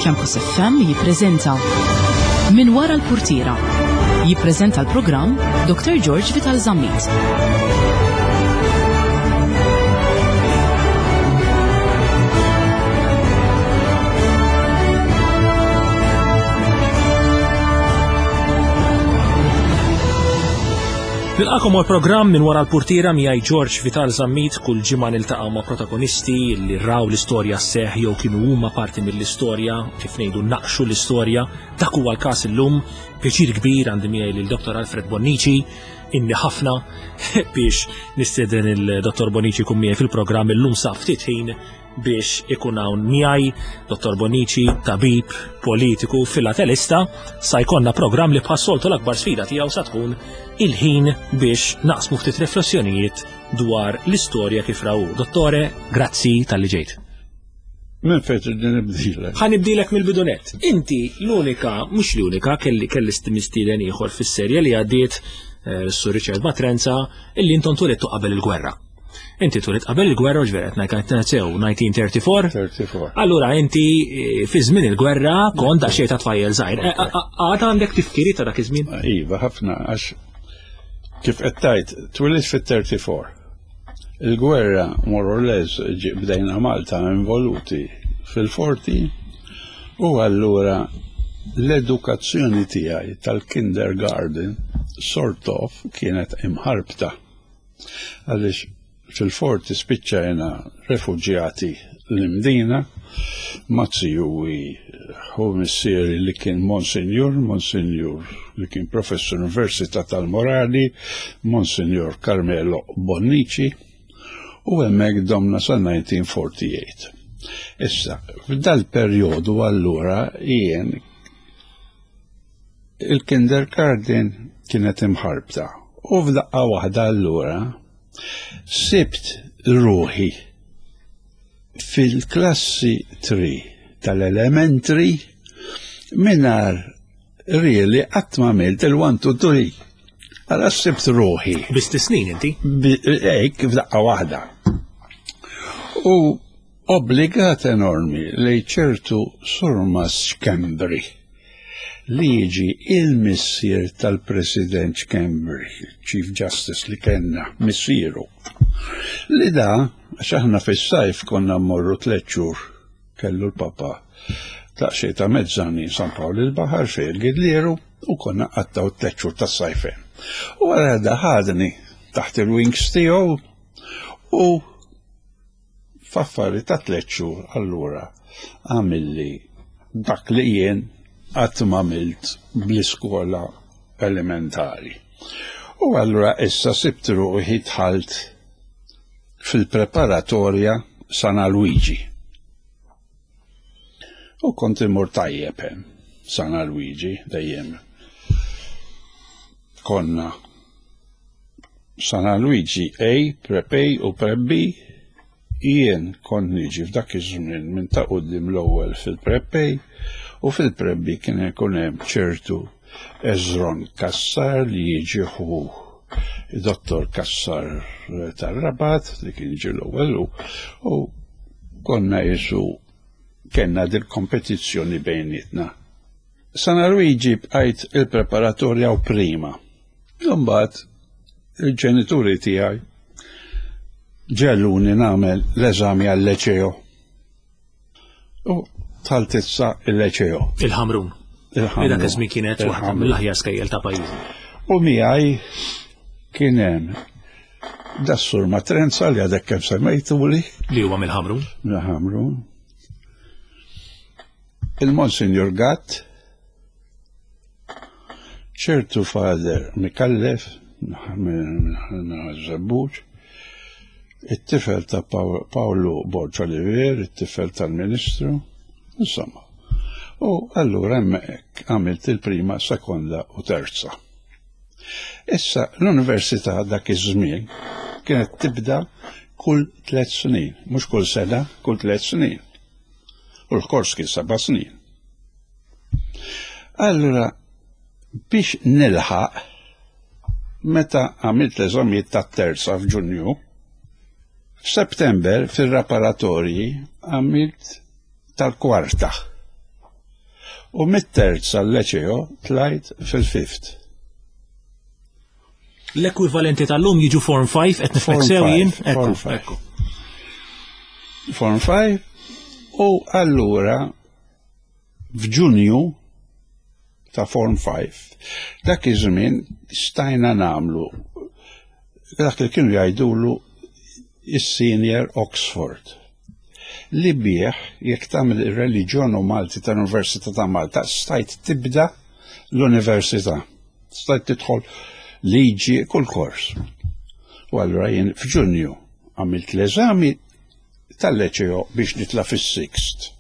Campus FM jippreżenta Min wara l-purtiera. Jippreżenta l-programm Dr. George Vital Zammit. Nilqakom għal programm minn wara l-purtiera miegħi George Vital Zammit kull ġimgħa niltaqgħu ma' protagonisti li raw l-istorja seħ jew kienu huma parti mill-istorja, kif ngħidu naqxu l-istorja. Dak huwa l-każ illum. Pjaċir kbir għandi miegħi lil Dr. Alfred Bonnici, inni ħafna biex nistieden il-Dr. Bonnici jkun miegħi fil-programm illum sa ftit ħin biex ikun hawn miegħi Dottor Bonici, tabib, politiku, filatelista, sa jkollna programm li bħas-soltu l-akbar sfida tiegħu sa tkun il-ħin biex naqsmu ftit riflessjonijiet dwar l-istorja kif raw. Dottore, grazzi tal-li ġejt. Minn fejn trid nibdilek? Ħa nibdilek mill-bidunet. Inti l-unika, mhux l-unika, kelli kelli mistieden ieħor fis-serje li għaddiet eh, Sur Richard Matrenza illi intom tulittu qabel il-gwerra. Inti tulit qabel il-gwerra u ġveret sew 1934. 34. Allura inti eh, fi żmien il-gwerra kont daqsxejn ta' tfajjel żgħir. Eh, għad għandek tifkiri ta' dak iż-żmien? Iva, ħafna għax kif qed tgħid twilit fit-34. Il-gwerra more or less bdejna Malta involuti fil-40 u allura l-edukazzjoni tiegħi tal-kindergarten sort of kienet imħarbta. Għaliex fil-forti spiċċajna refuġjati l-Imdina, ma' zijuwi ħu missieri li kien Monsinjur, Monsinjur li kien professur Università tal-Morali, Monsinjur Carmelo Bonnici, u hemmhekk domna sa 1948. Issa, f'dal-perjodu allura jien Il-kindergarten kienet imħarbta u f'daqqa waħda allura sibt ruħi fil-klassi 3 tal-elementary mingħajr really qatt ma għamilt il-1 2 3. Għala sibt ruħi. Biss snin inti? Ejk, f'daqqa waħda. U obbligat enormi li ċertu surmas Schembri li jiġi il-missier tal-President Schembri, Chief Justice li kellna, missieru. Li da, għax aħna fis-sajf konna mmorru tliet xhur kellu l-papa daqsxejn ta' mezzani San Pawl il-Baħar fejn il-Gidlieru u konna qattaw tliet xhur tas-sajf hemm. U wara da ħadni taħt il-wings tiegħu u F'affari ta' tlett xhur allura għamilli dak li jien qatt m'għamilt bl-iskola elementari. U allura issa sibt ruħi dħalt fil-preparatorja San Alwiġi. U kont imur tajjeb hemm San Alwiġi dejjem konna San Alwiġi A, Prep A u Prep B, jien kont niġi f'dak iż-żmien minn ta' quddiem l-ewwel fil-Prep A u fil-Prep B kien ikun hemm ċertu Ezron Cassar li jiġi ħu Dottor Cassar tar-Rabat li kien jiġi l-ewwel u konna jisu kellna dil-kompetizzjoni bejnietna. San Alwiġi bqajt il-preparatorja u prima. Imbagħad il-ġenituri tiegħi ġeluni nagħmel l-eżami għal-leċeo. U dħalt issa il-leċeo. Il-Ħamrun. Il-Ħamrun. Dak iż-żmien kienet waħda mill-aħjar skejjel ta' pajjiżna. U miegħi kien hemm das-sur Matrenza li għadek kemm semmejtuli. Li huwa mill-Ħamrun. Mill-Ħamrun. Il-Monsinjur Gatt, ċertu Father Micallef minn Żebbuġ, it-tifel ta' Paolo Borg Olivier, it-tifel tal-Ministru, insomma. U allura hemmhekk għamilt il-prima, sekonda u terza. Issa l-università dak iż-żmien kienet tibda kull tliet snin, mhux kull sena, kull tliet snin. U l-kors kien seba' snin. Allura, biex nilħaq, meta għamilt l-eżamijiet tat-terza f'Ġunju, f'September fir-raparatorji għamilt tal-kwarta. U mit-terz għal-leċeo tlajt fil-fifth. L-ekwivalenti tal-lum jiġu Form 5 qed nifhmek sew jien? Form 5. Form 5 u allura f'Ġunju ta' Form 5 dak iż-żmien stajna nagħmlu dak li kienu jgħidulu is-Senior Oxford li bih jekk tagħmel ir-reliġjon u Malti tal-Università ta' Malta stajt tibda l-università. Stajt tidħol liġi kull kors. U allura jien f'Ġunju għamilt l-eżami tal-leċeo biex nitla fis-sixth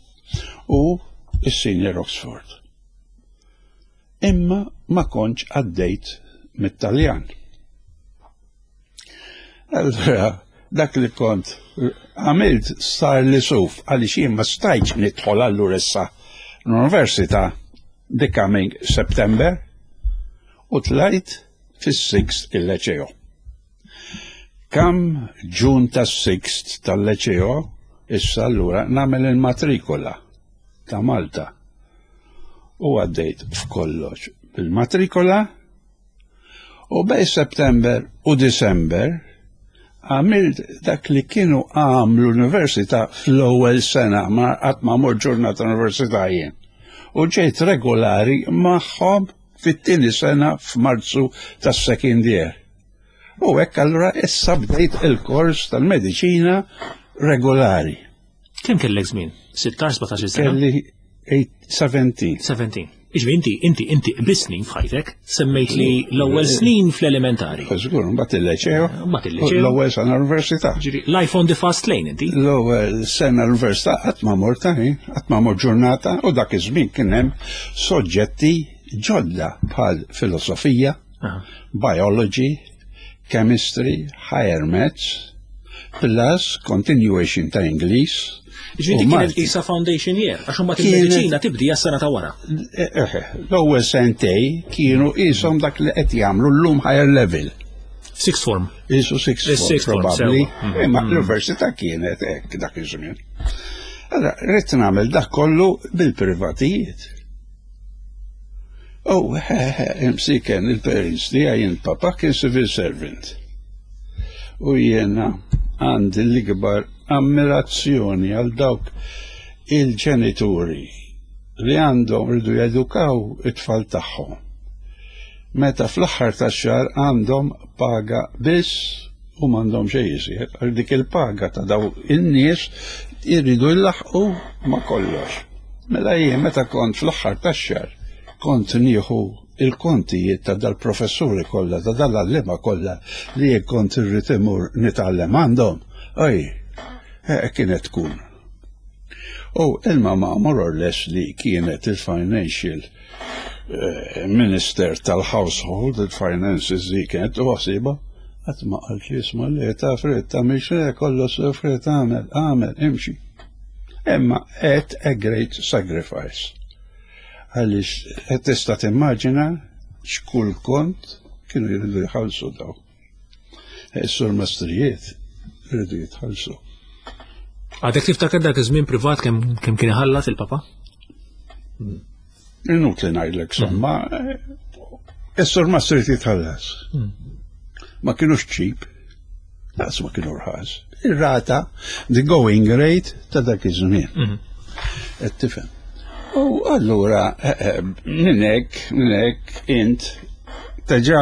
u s-Senior Oxford. Imma ma kontx għaddejt mit-Taljan. Allura, dak li kont għamilt sar li suf għaliex jien ma stajtx nidħol allura issa l-università the coming September u tlajt fis-sixth il-leċeo. Kam ġun tas-sixth tal-leċeo issa allura nagħmel il-matrikola ta' Malta u għaddejt f'kollox bil-matrikola U bej September u December għamilt dak li kienu għamlu l-università fl-ewwel sena ma qatt ma mort ġurnata università jien. U ġejt regolari magħhom fit-tieni sena f'Marzu tas-second year. U hekk allura issa bdejt il-kors tal-mediċina regolari. Kemm kellek żmien? 16, 17 sena? Kelli 17. 17. Iġvi inti, inti, inti qbis snin f'ħajtek, semmejt li l-ewwel snin fl-elementari. Żgur, mbagħad il-leċeo. Mbagħad il-leċeo. L-ewwel sena l-università. Ġifieri, life on the fast lane inti. L-ewwel sena l-università qatt ma mort qatt ma mort ġurnata u dak iż-żmien kien hemm soġġetti ġodda bħal filosofija, biology, chemistry, higher maths, plus continuation ta' Ingliż. Ġifieri kienet qisha foundation year, għax imbagħad il-mediċina tibdi għas-sena ta' wara. Eh, eh, l-ewwel sentej kienu qishom dak li qed jagħmlu llum higher level. Sixth form. Isu sixth form, probabbli. Mhm. Imma l-università kienet hekk dak iż-żmien. Allora, rrid nagħmel dak kollu bil-privatijiet. Oh, imsiken il-parents tiegħi jien papa kien civil servant. U jiena għandi l-ikbar ammirazzjoni għal dawk il-ġenituri li għandhom rridu jedukaw it-tfal tagħhom. Meta fl-aħħar tax-xahar għandhom paga biss u m'għandhom xejn iżjed, għal dik il-paga ta' daw in-nies jridu jlaħqu ma' kollox. Mela jien meta kont fl-aħħar tax-xahar kont nieħu il-kontijiet ta' dal-professuri kollha, ta' dal-għalliema kollha li jien kont irrid imur nitgħallem għandhom, oj, eh, kienet tkun. U il-mama more or less li kienet il-financial eh, minister tal-household, il-finances li kienet u għasiba, għat ma għalt li jisma li ta' frit ta' miex kollu frit għamel, għamel, imxi. Imma at a great sacrifice. Għaliex qed tista' timmaġina x'kull kont kienu jridu jħallsu daw. Is-sur mastrijiet jridu jitħallsu. Għadek tiftakar dak iż-żmien privat kemm kien iħallas il-papa? Inutli ngħidlek somma, is-sur mastrijiet jitħallas. Hmm. Ma kienux ċip. Laqas ma kienu rħas. Ir-rata, the going rate ta' dak iż-żmien. Mhm. Qed tifhem. U allura eh, eh, minn hekk, minn hekk int teġa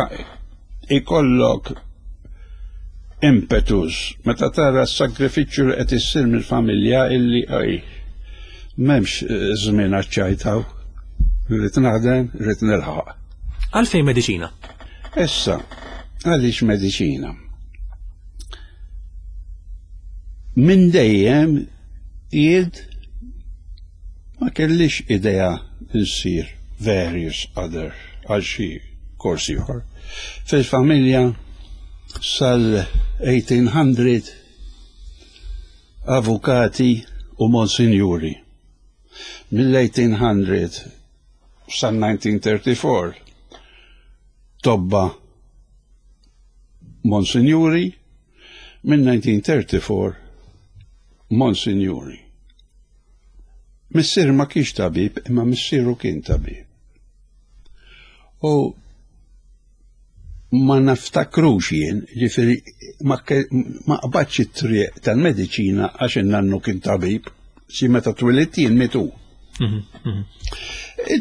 ikollok impetus meta tara s-sagrifiċċju li qed issir mill-familja illi oj m'hemmx eh, żmien għaċ-ċajtaw. Rrid naħdem, rrid nilħaq. Għalfejn mediċina? Issa, għaliex mediċina? Minn dejjem jid ma kellix idea nsir various other għal xi kors ieħor. Fil-familja sal-1800 avukati u monsinjuri. Mill-1800 sal-1934 tobba Monsinjuri, minn 1934 Monsinjuri. Missier ma kienx tabib, imma missieru kien tabib. U ma naftakrux jien, ġifieri ma qbadx it-triq tal-mediċina għax in-nannu kien tabib, si meta twilidt jien mitu. Mhm, mhm.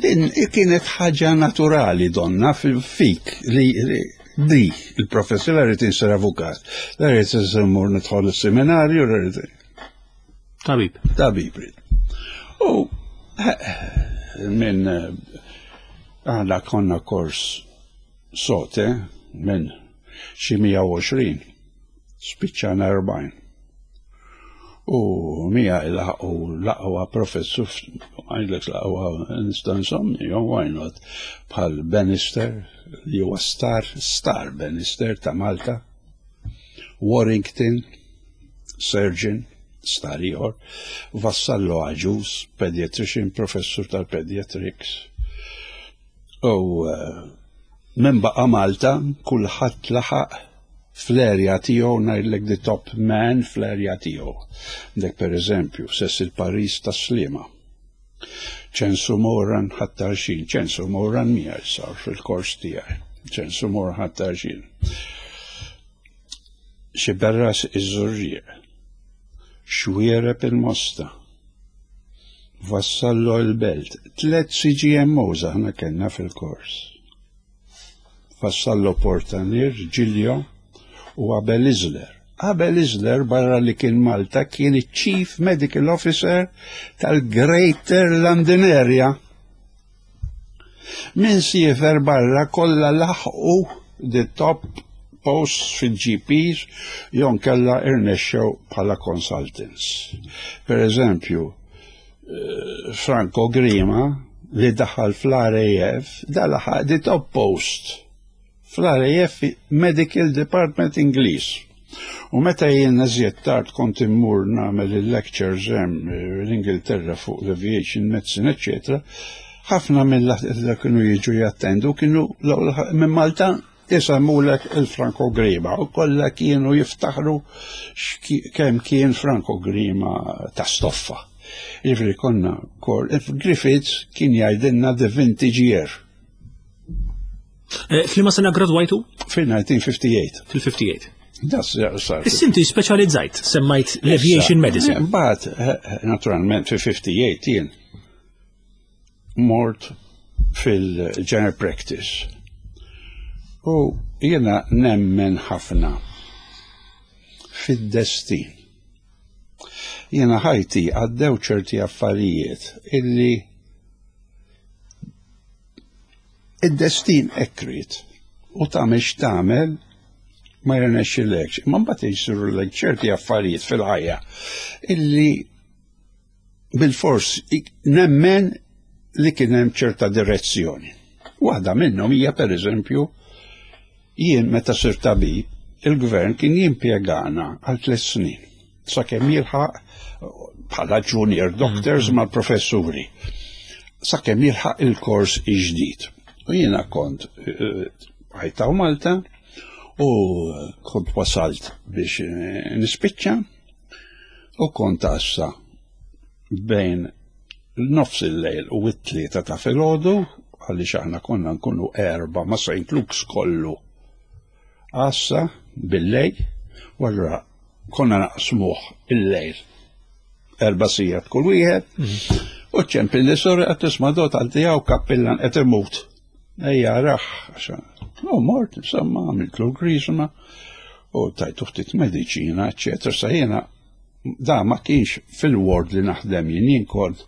Din kienet ħaġa naturali donna fik li di il-professur la rrid insir avukat, la rrid insir mur nidħol is-seminarju, la rrid Tabib. Tabib. U minn aħna konna kors sote minn xi 120 spiċċana 40. U mija il-ħaqu l-aqwa professur, għajlek l-aqwa nista' nsommi, why not, bħal Bannister, li huwa star, star Bannister ta' Malta, Warrington, surgeon, star ieħor, Vassallo Agius, pediatrician, professur tal-pediatrics. U eh, minn baqa' Malta, kulħadd laħaq fl-erja tiegħu ngħidlek the top man fl-erja tiegħu. Dek per eżempju, Cecil Paris ta' Sliema. Ċensu Moran ħattarxin, ċensu Moran miegħi sar fil-kors tiegħi. ċensu Moran ħattarxin. Xiberras iż-Żurrieq, Xwiereb il-Mosta, Vassallo l-Belt, tlet CGMOs aħna kellna fil-kors. Vassallo Portanier, Giglio u Abel Isler. Abel Isler barra li kien Malta kien iċ-Chief Medical Officer tal-Greater London Area. Min siefer barra kollha laħqu the top posts fil-GPs jew nkella irnexxew bħala consultants. Per eżempju, eh, Franco Grima li daħal fl-RAF, da laħaq the top post fl-RAF Medical Department Ingliż. U meta jien eżjed tard kont immur nagħmel il-lectures hemm eh, l-Ingilterra fuq l-aviation medicine, eccetera, ħafna mill kienu jiġu jattendu kienu minn Malta jisemmulek il-Franco Grima u kollha kienu jiftaħru kemm kien Franco Grima ta' stoffa. Jiġifieri konna kol Griffiths kien jgħidilna the vintage year. Eh, Flima sena gradwajtu? Fil-1958. Fil-58. Das sar. Issinti speċjalizzajt, semmajt l-aviation medicine. Mbagħad, eh, eh, naturalment, fil-58 jien mort fil-general practice. U jiena nemmen ħafna fid-destin. Jiena ħajti għaddew ċerti affarijiet illi Id-destin hekk ried u tagħmel x'tagħmel ma jirnexxilekx. Imma mbagħad jsirulek ċerti affarijiet fil-ħajja illi bil-fors nemmen li kien hemm ċerta direzzjoni. Waħda minnhom hija pereżempju jien meta sir tabib, il-gvern kien jimpjegana għal tliet snin sakemm jilħaq bħala junior doctors mm-hmm. mal-professuri sakemm jilħaq il-kors ġdid. U jiena kont eh, ħajtaw Malta u kont wasalt biex eh, nispiċċa u kont għassa bejn nofs il-lejl u it-tlieta ta' filgħodu għaliex aħna konna nkunu erba' ma' St. Luke's kollu għassa bil-lejl u allura konna naqsmuh il-lejl erba' sigħat kull wieħed mhm. u ċempil li sorri qed tisma' dot għal tiegħu kappillan qed imut. Ejja raħ, u mort, insomma, għamiltlu l-grisma u tajtu ftit mediċina, eċetera, sa jiena da ma kienx fil-ward li naħdem jien jien kont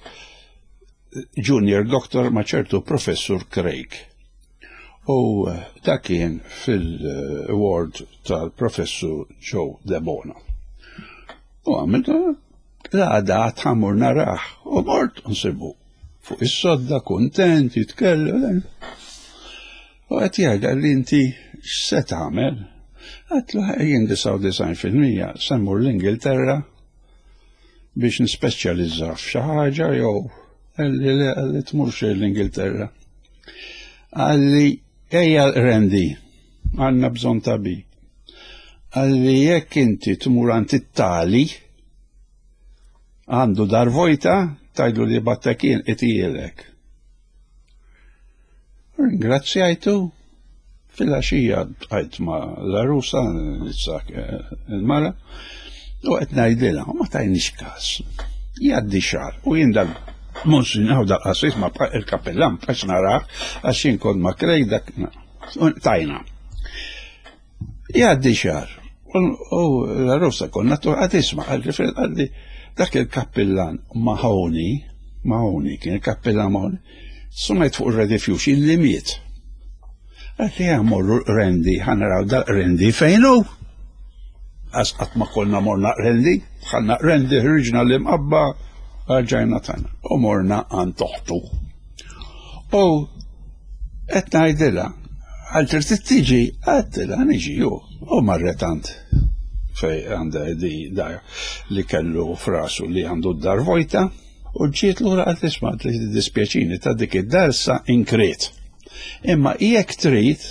junior doctor ma' ċertu professur Craig. U eh, da kien fil-ward tal-professur Joe Debono. U għamilt l-għada tħamur naraħ u mort nsibu fuq is-sodda kontent jitkellem. U qed jgħidha li inti x'se tagħmel? Għatlu jien 99% se mmur l-Ingilterra biex nispeċjalizza f'xi ħaġa jew li li tmurx l-Ingilterra. Għalli ejja Randy, għandna bżonn tabib. Għalli jekk inti tmur għand it-tali, għandu dar vojta, tgħidlu li battek jien itielek. Ringrazzjajtu fil-għaxija bqajt ma l-arusa, eh, il-mara, u qed ngħidilha, ma tajniex każ. Jgħaddi xahar u jien dal Monsinjaw dal qassis ma il-kapellan bqax narah għax jien kont ma krej dak tajna. Jgħaddi xahar u l-arusa konna għad isma' għalli dak il-kappillan Mahoney, Mahoney kien il-kappillan Mahoney, sumajt fuq il-redifjux illi miet. Għalli għamorru rendi, ħanaraw dal rendi fejnu. Għas qatt ma konna morna rendi, ħanna rendi ħriġna l-imqabba, rġajna tagħna u morna għand toħtu. U qed ngħidilha, għal trid tiġi, għedtilha niġi ju, u marret għand fej għandha di dar li kellu frasu li għandu d-dar vojta u ġiet lura għal tisma' li dispjaċini ta' dik id-dar sa inkriet. Imma jekk trid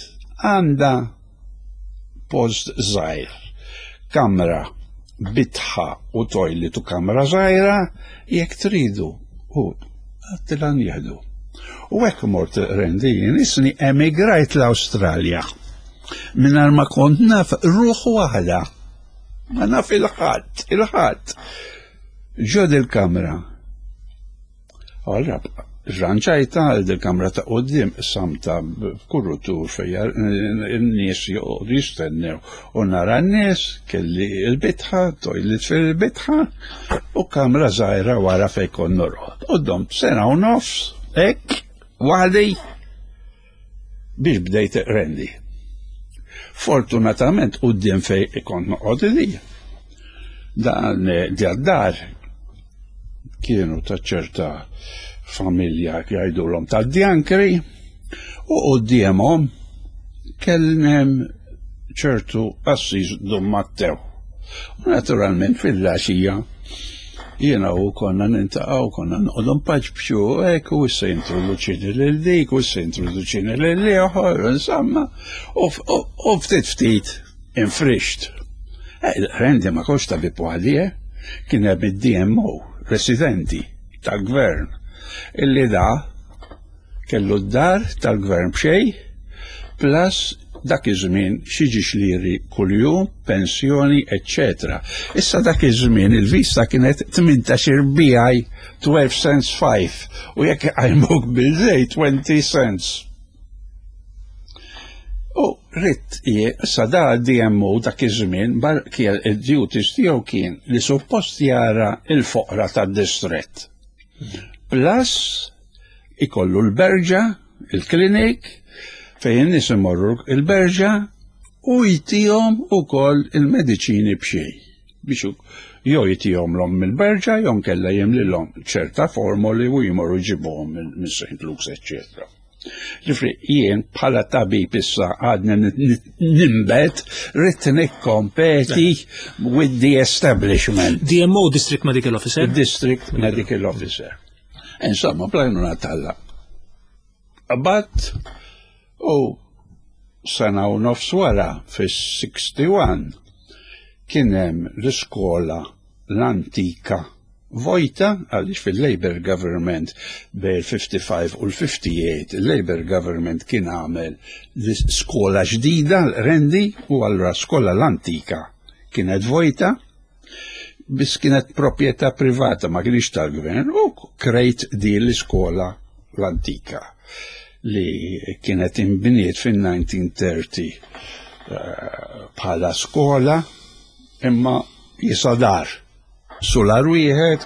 għandha post żgħir, kamra bitħa u toilet u kamra żgħira jekk tridu u għattilha nieħdu. U hekk mort rendi jien isni emigrajt l-Awstralja. Mingħajr ma kont naf ruħ waħda. Ma naf il-ħadd, il-ħadd. Ġod il-kamra. Allora, rranġajta għal dil-kamra ta' qoddim samta b'kurutur fejja n-nies joqogħdu jistennew u nara n-nies kelli l-bitħa, toilet fil-bitħa u kamra żgħira wara fejn kont norqod. U domt sena u nofs hekk waħdi biex bdejt rendi. Fortunatament quddiem fej kont noqgħod li. Dan dar kienu ta' ċerta familja jgħidulhom ta' djankri u quddiemhom kellem ċertu qassis Dun Mattew. U naturalment fil-għaxija jiena u konna nintaqgħu konna noqogħdu npaċbċu hekk u issa jintroduċini lil dik u issa jintroduċini lil ieħor insomma u ftit ftit infrixt. Eh, rendi ma kontx tabib waħdi, eh? Kien hemm id-DMO, residenti tal-gvern, illi da Kellu d-dar tal-gvern b'xejn, plus dak iż-żmien xi ġiex liri kuljum, pensjoni, eċċetera. Issa dak iż-żmien il-vista kienet 18 BI 12 cents 5 u jekk iqajmuk bil-lejl 20 cents. U rrid issa da DMO dak iż-żmien kien id-duties tiegħu kien li suppost jara il-foqra tad-distrett. Plus ikollu l-berġa, il-klinik, fejn in-nies imorru il-berġa u jtihom ukoll il-mediċini b'xejn biex jew jtihom l mill-berġa jew nkella jimlilhom ċerta formoli u jmorru jġibuhom minn St. Luke's, eċċetera. Ġifri, jien bħala tabib issa għadni nimbet, rrid nikkompeti with the establishment. DMO, District Medical Officer? District Medical Officer. Insomma, bl-għajnuna t'Alla. Qabadt u sena u nofs wara fis-61 kien hemm l-iskola l-antika vojta għaliex fil-Labour Government bejn il-55 u l-58 il-Labour Government kien għamel l-iskola ġdida l-Rendi u allura skola l-antika kienet vojta biss kienet proprjetà privata ma kienx tal-gvern u krejt din l-iskola l-antika li kienet inbniet fin-1930 eh, bħala skola imma jisa dar. Sular wieħed,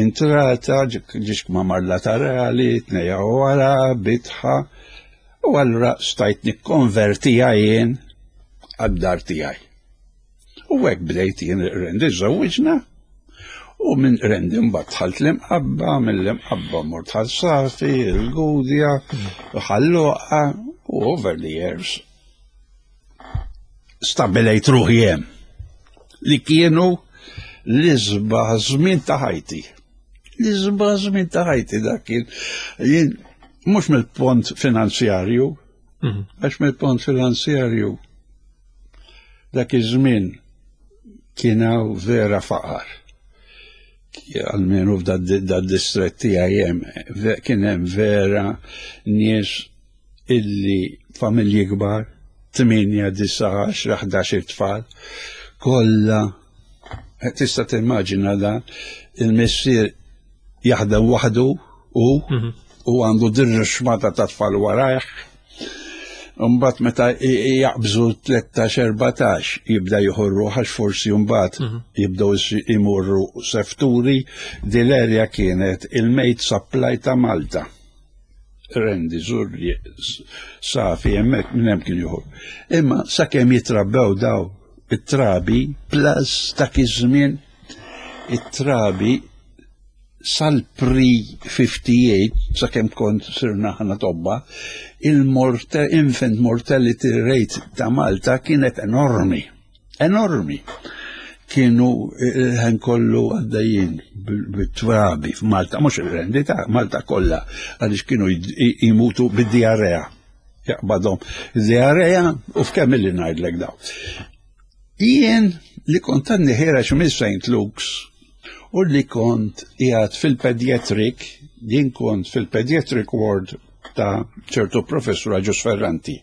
intrata, ġiex mamar laterali, tnejja wara, bitħa, u allura stajt nikkonvertija jien għad-dar tiegħi. U hekk bdejt jien rendi żewwiġna u minn rendi mbagħad dħalt l-imqabba, mill-imqabba mort Ħal Safi, il-Gudja, Ħal Luqa u over the years stabilejt ruħi hemm li kienu l-isbaħ żmien ta' ħajti. L-isbaħ żmien ta' ħajti dak kien jien mhux mill-pont finanzjarju, mhm. għax mill-pont finanzjarju Dak iż-żmien kien hawn vera faqar. Almenu f'dad distret tiegħi hemm kien hemm vera nies illi familji kbar, 8, 9, 10, 11 tfal, kollha tista' timmaġina dan il-missier jaħdem waħdu u mhm. u għandu dirra xmata ta' tfal warajh. Mbagħad meta jaqbżu 13-14 jibda jħorru għax forsi mbagħad mhm. jibdew imorru sefturi dil-erja kienet il-mate supply ta' Malta. Rendi, Zurri, Safi, hemmhekk minn hemm kien joħor. Imma sakemm jitrabbew daw it-trabi plus dak iż-żmien it-trabi sal-pre-58, sakemm kont sirna ħana tobba, il-infant mortality rate ta' Malta kienet enormi. Enormi. Kienu il-ħen kollu għaddejjin bit-trabi f'Malta, mhux il-rendi ta' Malta kollha, għaliex kienu jmutu bid-diarrea. Jaqbadhom diarrea u f'kemm illi ngħidlek daw. Jien li kont għadni ħireġ minn St. Luke's u li kont qiegħed fil-pediatric, jien kont fil-pediatric ward ta' ċertu professur Agius Ferranti.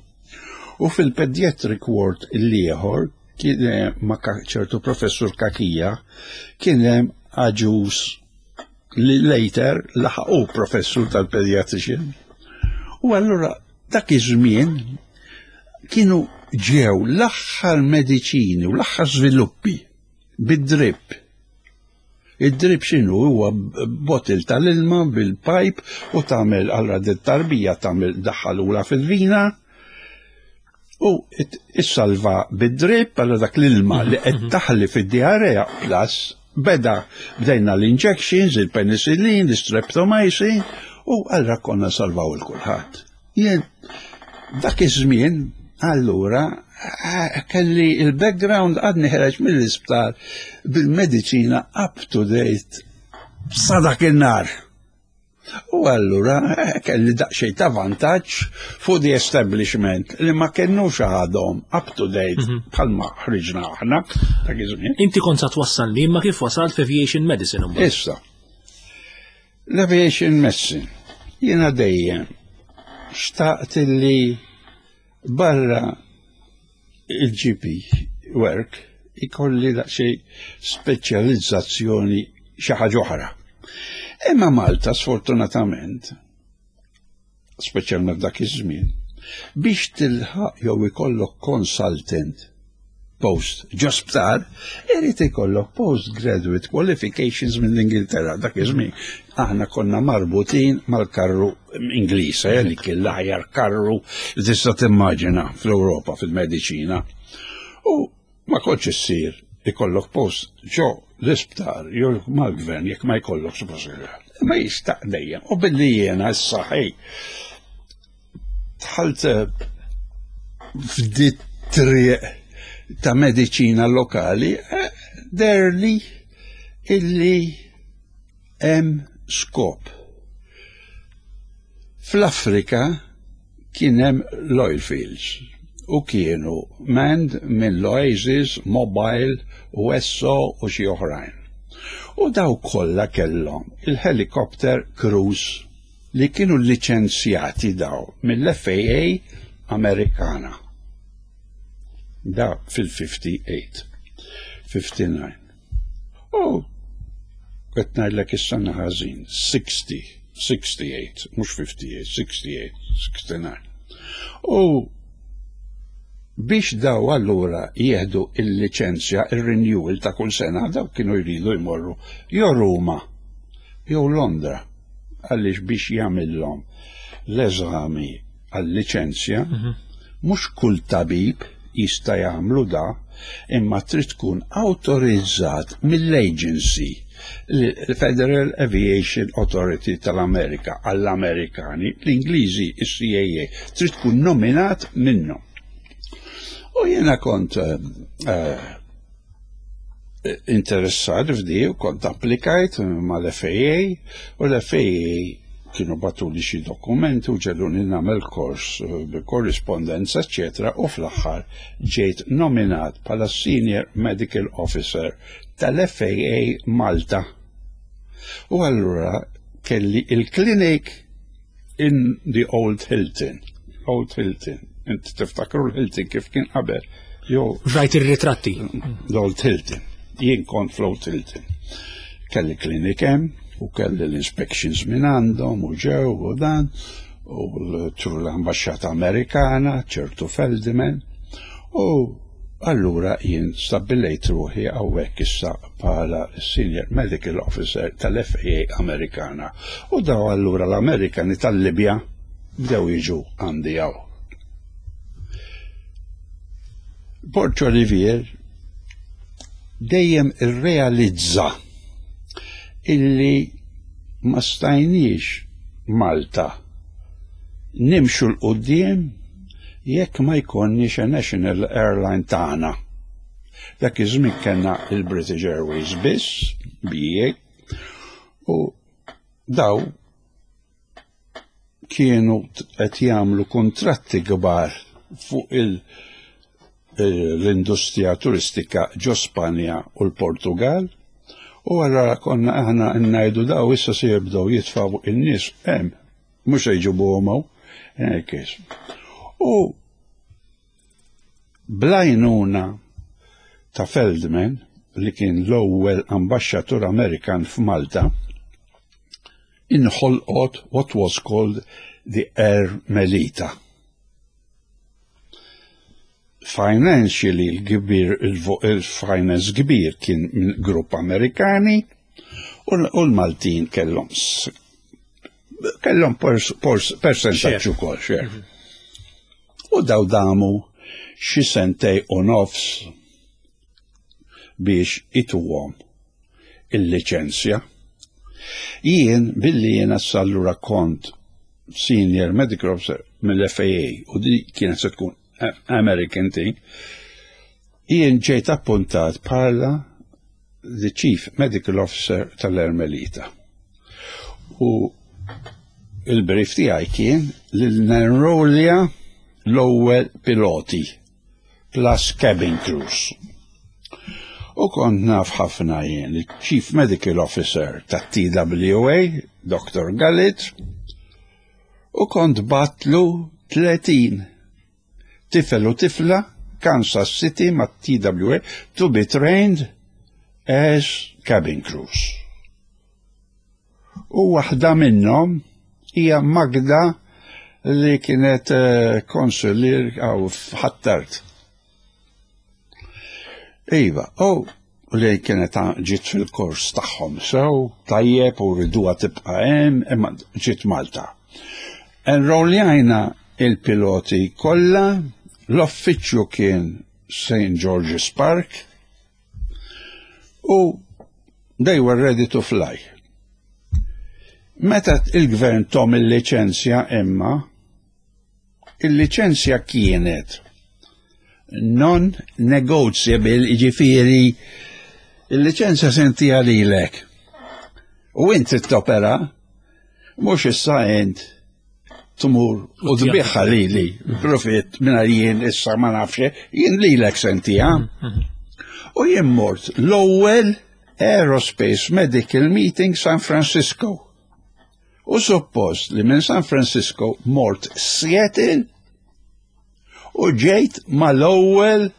U fil-pediatric ward l-ieħor kien ma' ċertu professur Kakija kien hemm Agius li later laħaqu professur tal-pediatrician. U allura dak iż-żmien kienu ġew l-aħħar mediċini u l-aħħar żviluppi bid-drip. Id-drip x'inhu huwa bottle tal-ilma bil-pipe u tagħmel allura dit-tarbija tagħmel daħħalula fil-vina u issalva bid-drip allura dak l-ilma li qed mhm. taħli fid-diarrea plus beda bdejna l-injections, il-penicillin, l-streptomycin u allura konna salvaw il-kulħadd. Jien dak iż-żmien allura kelli il-background għadni ħereġ mill-isptar bil-mediċina up to date sa dak in-nar. U allura kelli daqsxejn ta' vantaġġ fuq the establishment li ma kenux għadhom up to date mhm. bħalma ħriġna aħna dak iż-żmien. Inti kont sa twassalni imma kif wasalt f'aviation medicine Issa. L-aviation medicine jiena dejjem xtaqt li barra il-GP work ikolli daqsxejn speċjalizzazzjoni xi ħaġa oħra. Imma Malta sfortunatament, speċjalment f'dak iż-żmien, biex tilħaq jew ikollok consultant post ġo sptar, irid ikollok postgraduate qualifications mill-Ingilterra. Dak iż-żmien aħna konna marbutin mal-karru Ingliż, eh, li kien l-aħjar karru li tista' timmaġina fl-Ewropa fil-mediċina. U ma kontx issir ikollok post ġo l-isptar jew mal-gvern jekk ma jkollok suppost. Ma jistaq dejjem. U billi jiena issa ħej dħalt eh, f'dit triq ta' mediċina lokali, eh, derli illi hemm skop. Fl-Afrika kien hemm l-oil fields u kienu manned minn l-Oasis, Mobile u Esso u xi oħrajn. U daw kollha kellhom il-helicopter crews li kienu liċenzjati daw mill-FAA Amerikana. Da fil-58, 59. U qed ngħidlek is-sena ħażin, 60, 68, mhux 58, 68, 69. U biex daw allura jieħdu il-liċenzja, il-renewal ta' kull sena, daw kienu jridu jmorru jew Ruma jew Londra għaliex biex jagħmilhom l-eżami għal-liċenzja, mhm. mhux kull tabib jista' jagħmlu da, imma trid tkun awtorizzat mill-agency l-Federal Aviation Authority tal-Amerika għall-Amerikani, l-Ingliżi, il-CAA, trid tkun nominat minnhom. U jiena kont uh, interessat f'di u kont applikajt mal-FAA u l-FAA kienu batuli xi dokumenti u ġeluni nagħmel kors eh, bi korrispondenza, eċetera, u fl-aħħar ġejt nominat bħala Senior Medical Officer tal-FAA Malta. U allura kelli il-klinik in the Old Hilton. Old Hilton. Inti tiftakru l-Hilton kif kien qabel. Jo. Rajt ir-ritratti. L-Old Hilton. Jien kont fl-Old Hilton. Kelli klinik hemm u kelli l-inspections minn għandhom u ġew u dan u l-ambasċata Amerikana, ċertu Feldman u Allura jien stabbilejt ruħi hawnhekk issa bħala Senior Medical Officer tal-FAA Amerikana. U daw allura l-Amerikani tal-Libja bdew jiġu għandi hawn. Borg Olivier dejjem irrealizza illi ma stajniex Malta nimxu 'l quddiem jekk ma jkollniex a national airline tagħna. Dak iż-żmien kellna il-British Airways biss, BA, u daw kienu qed jagħmlu kuntratti kbar fuq il- l-industrija turistika ġo Spanja u l-Portugal u għarra konna aħna ngħidu daw issa se jibdew jitfgħu in-nies hemm mhux se jġibuhom hawn. U blajnuna ta' Feldman li kien l-ewwel ambaxxatur Amerikan f'Malta inħolqot what was called the Air Melita. Financially l-kbir il-finance kbir kien minn grupp Amerikani u l-Maltin kellhom kellhom percentaġġ ukoll share. Mhm. U daw damu xi sentej u nofs biex ituhom il-liċenzja. Jien billi jiena sallura kont senior medical officer mill-FAA u di kienet se tkun American thing, jien ġejt appuntat bħala the Chief Medical Officer tal-Ermelita. U il-brief tiegħi kien li nenrolja l-ewwel piloti plus cabin crews. U kont naf ħafna jien il-Chief Medical Officer tat-TWA, Dr. Gallit, u kont batlu 30 tifel u tifla Kansas City ma' TWA to be trained as cabin crews. U waħda minnhom hija Magda li kienet eh, konsulier għaw f'Ħattart. Iva, u li kienet ġiet fil-kors tagħhom sew, tajjeb u riduha tibqa' hemm, imma ġiet Malta. Enrolljajna il-piloti kollha, l-uffiċċju kien St. George's Park u they were ready to fly. Meta il-gvern tom il-liċenzja imma, il-liċenzja kienet non-negotiable, ġifiri, il-liċenzja sentija lilek. U int trid topera, mhux issa int tmur u tbiħħa lili, profitt minn jien issa ma nafx, jien lilek sentija. U jien mort l-ewwel Aerospace Medical Meeting San Francisco. U suppost li minn San Francisco mort Seattle u ġejt mal-ewwel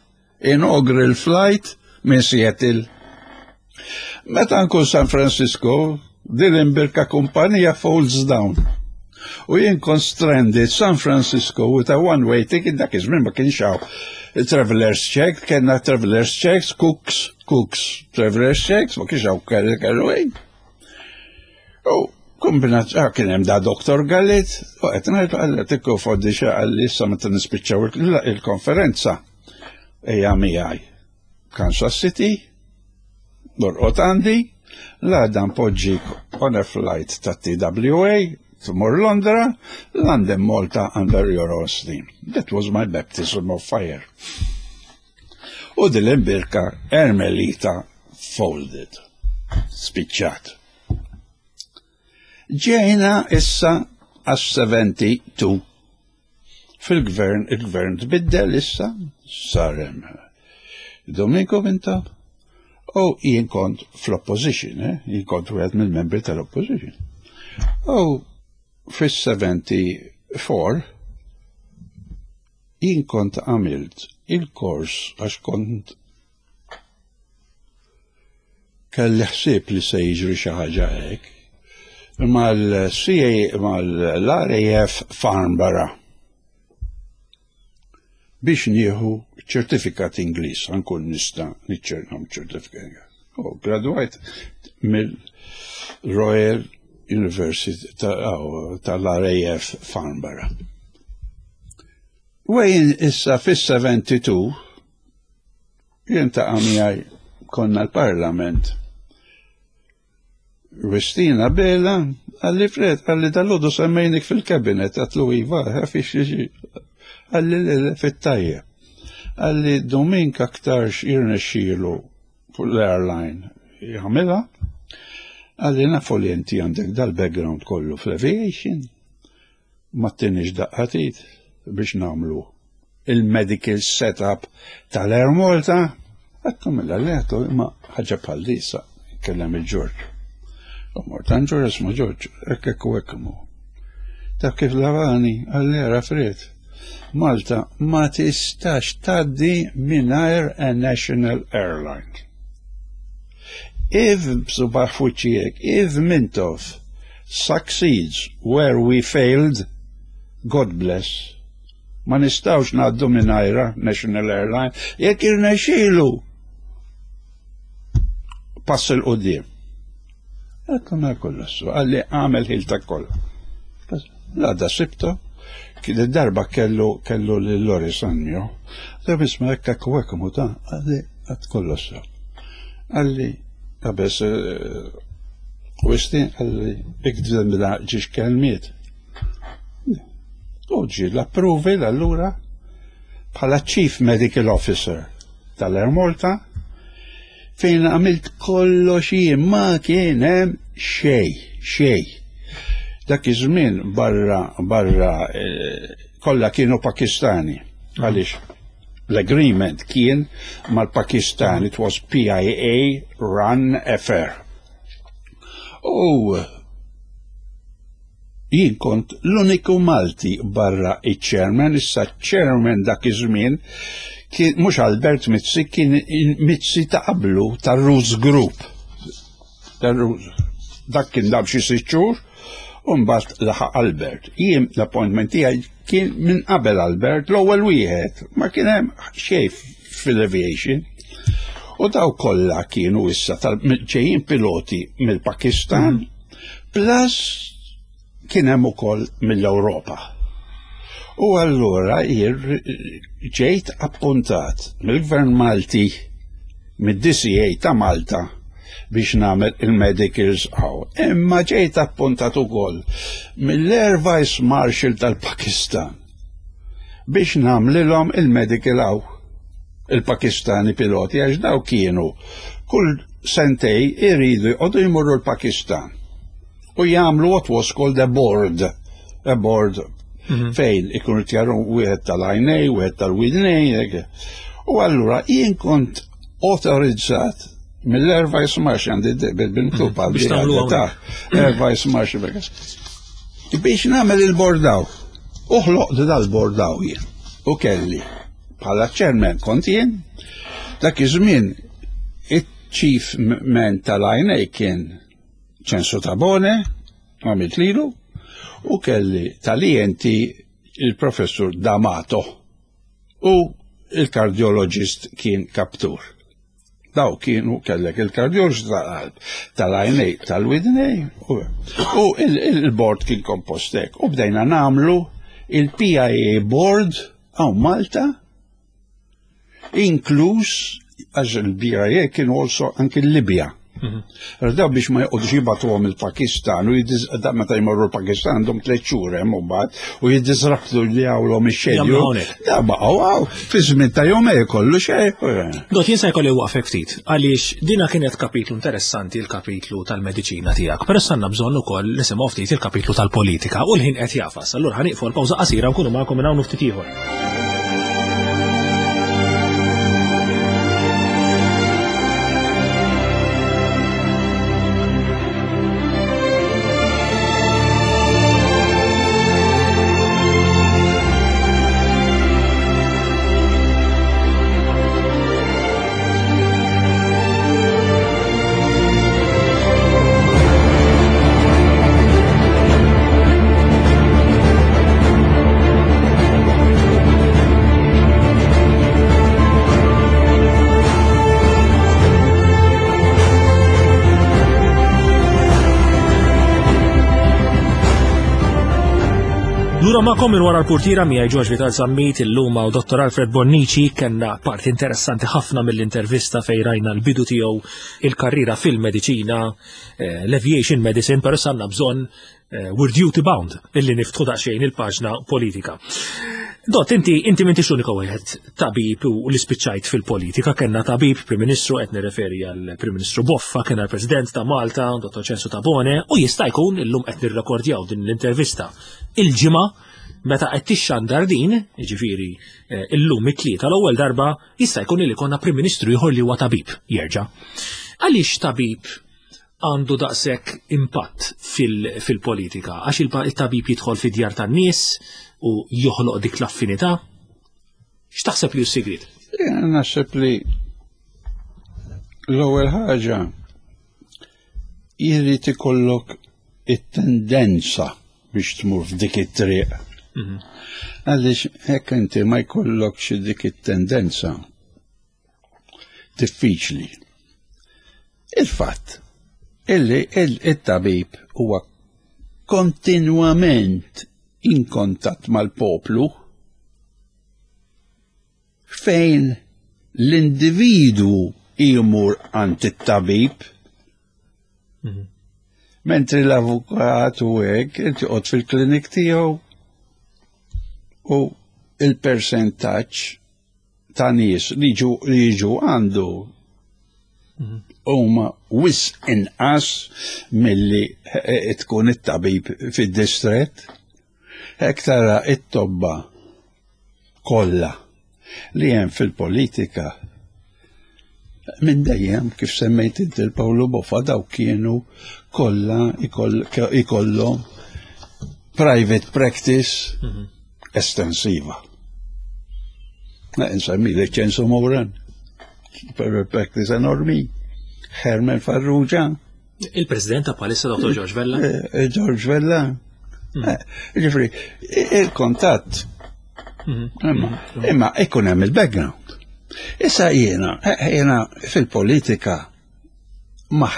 inaugural flight minn Seattle. Meta nkun San Francisco, din imbirka kumpanija folds down. U jien kont stranded San Francisco with a one-way ticket dak iż-żmien ma kienx hawn travelers check, kellna travelers checks, cooks, cooks, travelers checks, ma kienx hawn carry U kombinat, ah, kien hemm da Dr. Gallit, u qed ngħid għalli tikku foddi xi għalli issa meta nispiċċaw il-konferenza. Ejja miegħi. Kansas City, norqod għandi, l-għada npoġġik on a flight ta' TWA, tmur Londra, London Malta under your own steam. That was my baptism of fire. U dil-imbirka Ermelita folded. Spiċċat. Ġejna issa għas-72. Fil-gvern, il-gvern tbiddel issa, sarem Domenico Mintoff. U jien kont fl-opposition, eh? jien kont wieħed mill-membri tal-opposition. U fis-74 jien kont għamilt il-kors għax kont kelli ħsieb li se jiġri xi ħaġa hekk mal-CA mal-RAF Farnborough biex nieħu ċertifikat Ingliż nkun nista' niċċernhom ċertifikat. U gradwajt mill-Royal University tal-RAF Farnborough. Wejn issa fis-72 jien ta' miegħi konna l-Parlament Wistina Bela, għalli Fred, għalli dal-ħodu semmejnik fil-kabinet, għatlu iva, għafix għalli fit-tajjeb. Għalli Domink aktarx jirnexxielu fuq l-airline jagħmilha, għalli nafu li inti għandek dal-background kollu fl-aviation, ma tinix daqqatit biex namlu il-medical setup tal-Air Malta, għattu mela li għattu imma ħaġa bħal disa, kellem il-Ġorġ. U mort għand Ġorġ isma' Ġorġ, hekk hekk u hekk mu. Taf kif lavani, għalli ara Fred. Malta ma tistax tgħaddi mingħajr a national airline. If b'subaħ fuċijek, if Mintoff succeeds where we failed, God bless. Ma nistawx ngħaddu mingħajra National Airline jekk irnexxielu pass il qudiem. Għatlu ma kollu, għalli għamel ħilta kollha. L-għada sibtu, kien darba kellu kellu lil Loris Annio. Da bisma hekk hekk u hekk ta' għalli għad kollu sew. Għalli qabes eh, wisti għalli ikdem ġiex kelmiet. U ġie l-approval allura bħala Chief Medical Officer tal-Air Malta fejn għamilt kollox jien ma kien hemm xej, xej. Dak iż-żmien barra barra eh, kollha kienu Pakistani. Għaliex l-agreement kien mal-Pakistan, it was PIA run affair. U Jien kont l-uniku Malti barra iċ-chairman, issa chairman dak iż-żmien kien mhux Albert Mizzi kien Mizzi ta' qablu tar-Roots Group. Dak kien dam xi sitt xhur u mbagħad laħaq Albert. Jien l-appointment tiegħi kien minn qabel Albert l-ewwel wieħed, ma kien hemm xejn fil-aviation. U daw kollha kienu issa ġejjin piloti mill-Pakistan, mm. Plus kien hemm ukoll mill-Ewropa. U allura ġejt appuntat mill-Gvern Malti mid-DCA ta' Malta biex nagħmel il-medicals għaw. Imma ġejt appuntat ukoll mill-Air Vice Marshal tal-Pakistan biex nagħmlilhom il-medical għaw il-Pakistani piloti għax daw kienu kull sentej iridu jqogħdu jmorru l-Pakistan u jagħmlu what was called a board, a board mhm. fejn ikunu tjaru wieħed tal-għajnej, wieħed tal-widnej, u allura jien kont autorizzat mill-Air Vice Marshal għandi bil-miktub mhm. għal biex ta' Air Vice Marshal biex nagħmel il-bordaw. Uħloq dal-bordaw jien u kelli Bħala chairman kont jien, dak iż-żmien iċ-chief man tal-INA kien Ċensu Tabone, għamilt lilu, u kelli tal-ENT il-professur D'Amato u il-kardiologist kien Kaptur. Daw kienu kellek il-kardiologist tal-qalb, tal-INA, tal-widnej, u il-board kien kompost hekk. U bdejna namlu il-PIA board Hawn Malta, inkluż għax il-BIA kienu also anki l-Libja. Mhm. Daw biex ma jqogħdux jibgħatuhom il-Pakistan u da meta jmorru l-Pakistan għandhom tliet xhur hemm u mbagħad u jiddisrabtu li għawlhom ix-xedju. Da baqgħu hawn fi żmien ta' jumej kollu xejn. Dot jien se jkolli waqfek ftit għaliex dina kienet kapitlu interessanti l-kapitlu tal-mediċina tiegħek, però sanna bżonn ukoll nisimgħu ftit il-kapitlu tal-politika u l-ħin qed jafas. Allura ħaniqfu l-pawża qasira nkunu magħkom minn hawn ftit ieħor. Lura magħkom minn wara l-purtiera miegħi George Vital Zammit illum u Dr. Alfred Bonnici kellna parti interessanti ħafna mill-intervista fejn rajna l-bidu tiegħu il-karriera fil-mediċina, eh, l-aviation medicine, però sanna bżonn eh, we're duty bound illi niftħu daqsxejn il-paġna politika. Dot, inti inti m'intix l-unika wieħed tabib u li spiċċajt fil-politika, kellna tabib Prim Ministru qed nirreferi għal Prim Ministru Boffa, kellna l-President ta' Malta, Dottor Ċensu Tabone, u jista' jkun illum qed nirrekordjaw din l-intervista il-ġimgħa meta qed tixxandar din, jiġifieri eh, illum it-tlieta l-ewwel darba jista' jkun li konna Prim Ministru ieħor li huwa tabib jerġa'. Għaliex tabib għandu daqshekk impatt fil-politika? Għax il-tabib jidħol fid-djar tan-nies u joħloq dik l-affinità? X'taħseb li hu s-sigriet? Naħseb li l-ewwel ħaġa jrid ikollok it-tendenza biex tmur f'dik it-triq. Mhm. Għaliex hekk inti ma jkollokx dik it-tendenza diffiċli. Il-fatt illi il-tabib huwa kontinwament in kontatt mal-poplu fejn l-individwu jmur għand it-tabib mhm. Mentri l-avukat u hekk, inti qod fil-klinik tiegħu u il-percentaġġ ta' nies li ġu li jiġu għandu mhm. huma wis inqas milli eh, tkun it-tabib fid-distret. Hekk tara it-tobba kollha li hemm fil-politika minn dejjem kif semmejt inti l-Pawlu Boffa daw kienu kollha ikollhom private practice mhm. estensiva. Nsemmi li ċensu Moran, private practice enormi, Herman Farrugia. Il-President ta' palissa Dr. George Vella? Eh, eh, George Vella. Mm. Eh, ġifri, il-kontatt. Mm. Imma, mm. imma ikun hemm il-background. Issa jiena, jiena fil-politika ma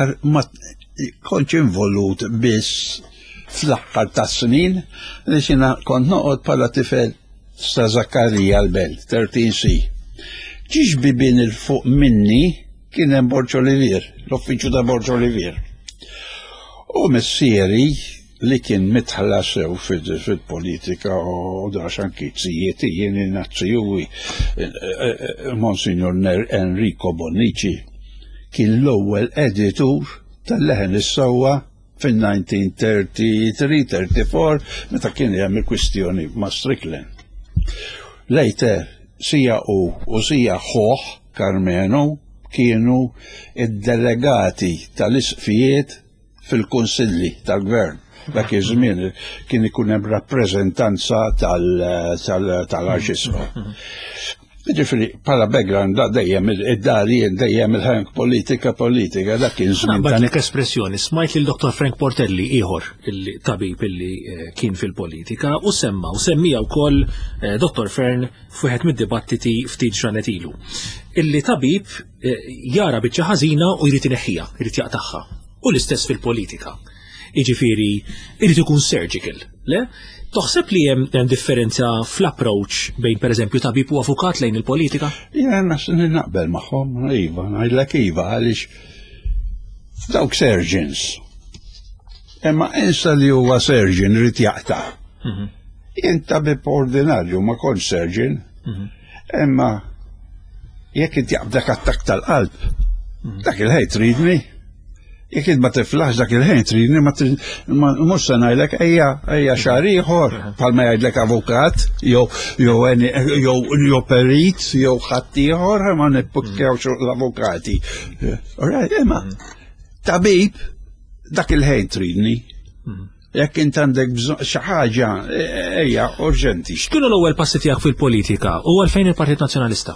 kontx involut biss fl-aħħar tas-snin li xina kont noqgħod bħala tifel sa Zakkarija l-Belt, 13C. Ġiex bibien il-fuq minni kien hemm Borġ Olivier, l-uffiċċju ta' Borġ Olivier. U missieri li kien mitħla sew fil-politika u dax anki zijieti jien nazzjuwi eh, eh, eh, Monsignor Enrico Bonnici kien l-ewwel editur tal-leħen is-sewwa fil-1933-34 meta kien hemm il-kwistjoni ma' Strickland. Later, sija u u sija ħoħ Karmenu kienu id-delegati tal-isqfijiet fil-kunsilli tal-gvern. Dak iż-żmien kien ikun hemm rappreżentanza tal-arċisqof. Ġifieri bħala background da dejjem id-dar jien dejjem il-ħank politika politika dak kien żmien. Dak espressjoni smajt lil Dr. Frank Portelli ieħor il-tabib illi eh, kien fil-politika u semma u semmija wkoll eh, Dr. Fern f'wieħed mid-dibattiti ftit ġranet ilu. Illi tabib eh, jara biċċa ħażina u jrid ineħħiha, jrid jaqtagħha. U l-istess fil-politika. Jiġifieri irid ikun surgical, le? Toħseb li hemm differenza fl-approach bejn pereżempju tabib u avukat lejn il-politika? Jena naqbel magħhom, iva, ngħidlek iva għaliex dawk surgeons. Imma insa li huwa surgeon irid jaqta'. Mhm. Jien tabib ordinarju ma kontx surgeon. Mhm. Imma jekk inti jaqbdek attakk tal-qalb, mhm. dak il-ħej tridni. Jekk int ma tiflaħx dak il-ħin tridni ma mhux se ngħidlek ejja ejja xahar ieħor mhm. bħalma jgħidlek avukat jew jew jew jew perit jew ħadd ieħor ma nippukkjawx l-avukati. Alright, imma tabib dak il-ħin tridni. Jekk int għandek bżonn xi ħaġa e, ejja urġenti. X'kienu l-ewwel passi tiegħek fil-politika u għalfejn il-Partit Nazzjonalista?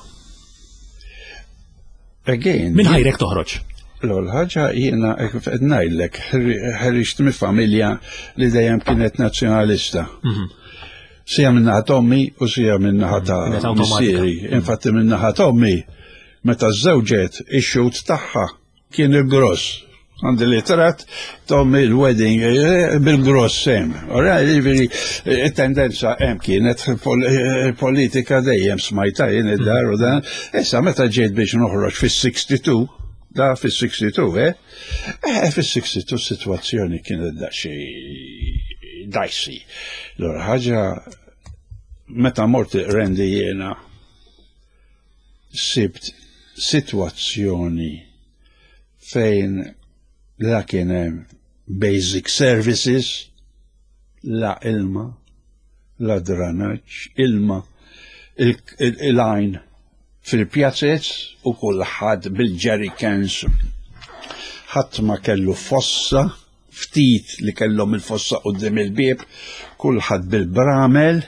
Again. Min ħajrek toħroġ? L-ewwel ħaġa jiena qed ngħidlek ħriġt minn familja li dejjem kienet nazzjonalista. Mhm. Sija minn naħa tommi u sija minn naħa ta' mhm. missieri. Infatti minn naħa tommi meta żewġet ix-xut tagħha kien il-gross. Għandi l-itrat tom il-wedding eh, bil-gross sem. Ora, jiġifieri, eh, tendenza hemm kienet eh, politika dejjem smajta jien id-dar u dan. Issa meta ġejt biex noħroġ fis-62, da fis-62, eh? Eh, fis-62 situazzjoni kienet daqsxejn dicey. L-ewwel ħaġa meta mort rendi jiena sibt sitwazzjoni fejn la kien hemm basic services, la ilma, la dranaġġ, ilma, il-għajn fil-pjazzez u kulħadd bil-jerrycans. Ħadd ma kellu fossa, ftit li kellhom il-fossa quddiem il-bieb, kulħadd bil-bramel,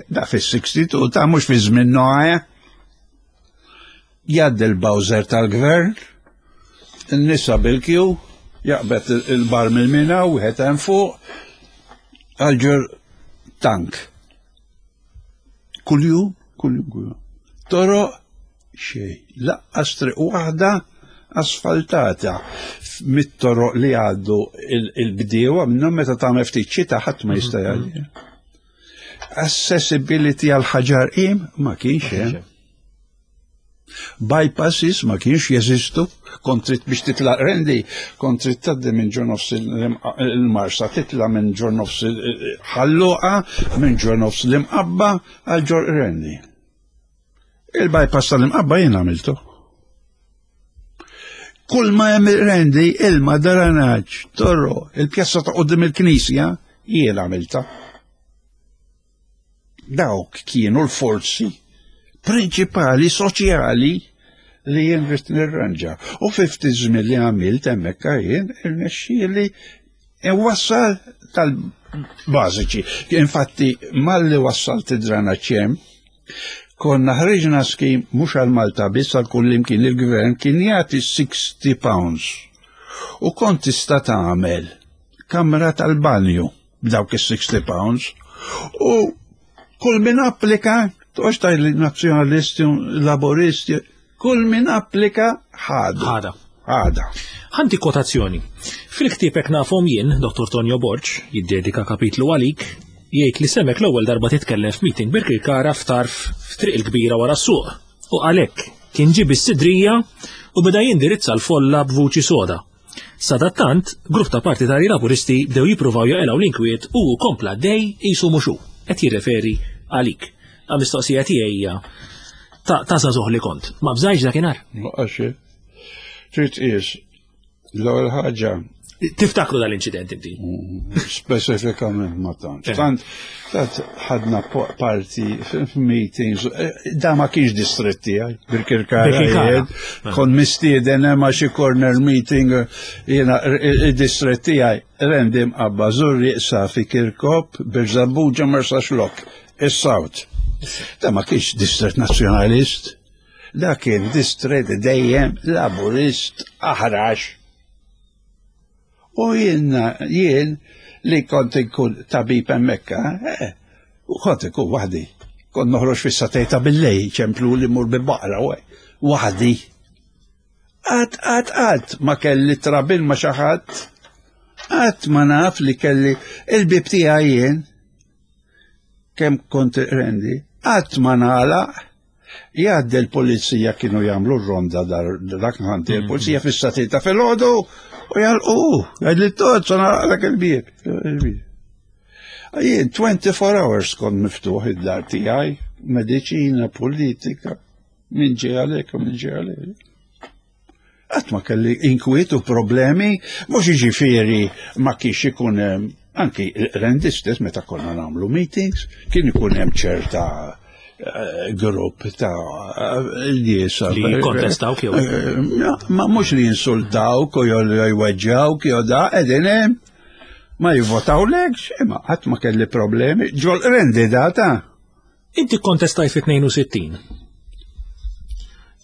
da fis-62 ta' mhux fi żmien Noè. Jgħaddi l-bowser tal-gvern, in-nisa bil-kju, jaqbed il-bar mill-mina u wieħed hemm fuq għal tank. Kuljum, kuljum, kuljum. Toroq xejn, laqqas triq waħda asfaltata mit-toroq li għaddu il-bdiewa minnhom meta tagħmel ftit xita ħadd ma jista' jgħaddi. Accessibility għal ħaġar qim ma kienx hemm. Bypasses ma kienx jeżistu, kont trid biex titla' rendi, kont trid tgħaddi minn ġo nofs il-Marsa, titla' minn ġo nofs Ħalluqa, minn ġo nofs l-Imqabba għal ġo Rendi. Il-bypass tal-Imqabba jien għamiltu. Kull ma hemm rendi, ilma, daranaġ, torro, il-pjazza ta' qudiem il-knisja, jien għamilta. Dawk kienu l-forzi prinċipali soċjali li jien rrid nirranġa. U fi ftit żmien li għamilt hemmhekk jien irnexxieli wassal tal-bażiċi. Infatti malli wassalt id-drana ċem, konna ħriġna skim mhux għal Malta biss għal kull imkien il-gvern kien jagħti 60 pounds. U kont tista' tagħmel kamra tal-banju b'dawk is-60 pounds u kull min applika, toqgħodx tgħid li nazzjonalisti, laboristi, kull min applika ħadu. Ħada. Ħada. Ħanti kotazzjoni. Fil-ktiebek nafhom jien, Dr. Tonio Borg, jiddedika kapitlu għalik, jgħid li semek l-ewwel darba titkellem f'meeting Birkirkara f'tarf f'Triq il-Kbira wara s-suq. U għalhekk kien ġie bis-sidrija u beda jindirizza l-folla b'vuċi soda. Sadattant, grupp ta' partitarji Laburisti bdew jippruvaw jaqilgħu l-inkwiet u hu kompla għaddej qisu mhux hu, qed jirreferi għalik. Għal-mistoqsija tiegħi hija ta' ta' żagħżugħ li kont, ma bżajtx dakinhar? Laqgħa xejn. Trid tqis l-ewwel ħaġa Tiftakru dal-inċident inti? Mm, speċifikament ma tantx. Eh. Tant tant ħadna parti f'meetings, eh, da ma kienx distrett tiegħi, Birkirkara. Eh. Kon mistieden hemm xi corner meeting jiena id-distrett tiegħi rendi mqabba Żurrieq Safi Kirkop, Birżebbuġa Marsaxlokk, is-South. Da ma kienx distrett nazzjonalist, da kien distrett dejjem laburist aħrax. U jien, jien li kont inkun tabib hemmhekk, eh, u kont inkun waħdi. Kont noħroġ fis-satejta billej, ċemplu li mur bil-baqra, waħdi. Qatt, qatt, qatt ma kelli trabil ma xi ħadd. Qatt ma naf li kelli il-bib tiegħi jien kemm kont rendi, qatt ma nagħlaq Jgħaddi l-pulizija kienu jagħmlu r-ronda dak ħanti mm. il-pulizija fis-satita fil-ħodu u jalqu, jgħid li tot nagħlaq il-bieb. Jien 24 hours kont miftuħ id-dar tiegħi, mediċina, politika, min ġej għalek u min ġej għalek. Qatt ma kelli inkwiet u problemi, mhux jiġifieri ma kienx ikun hemm anki rendi stess meta konna nagħmlu meetings, kien ikun hemm ċerta eh, grupp ta' nies li jikkontestawk jew eh, ma mhux li jinsultawk u jew jweġġawk jew da qegħdin hemm ma jivvotawlekx, imma qatt ma kelli problemi ġol rendi data. Inti kkontestajt fit-62.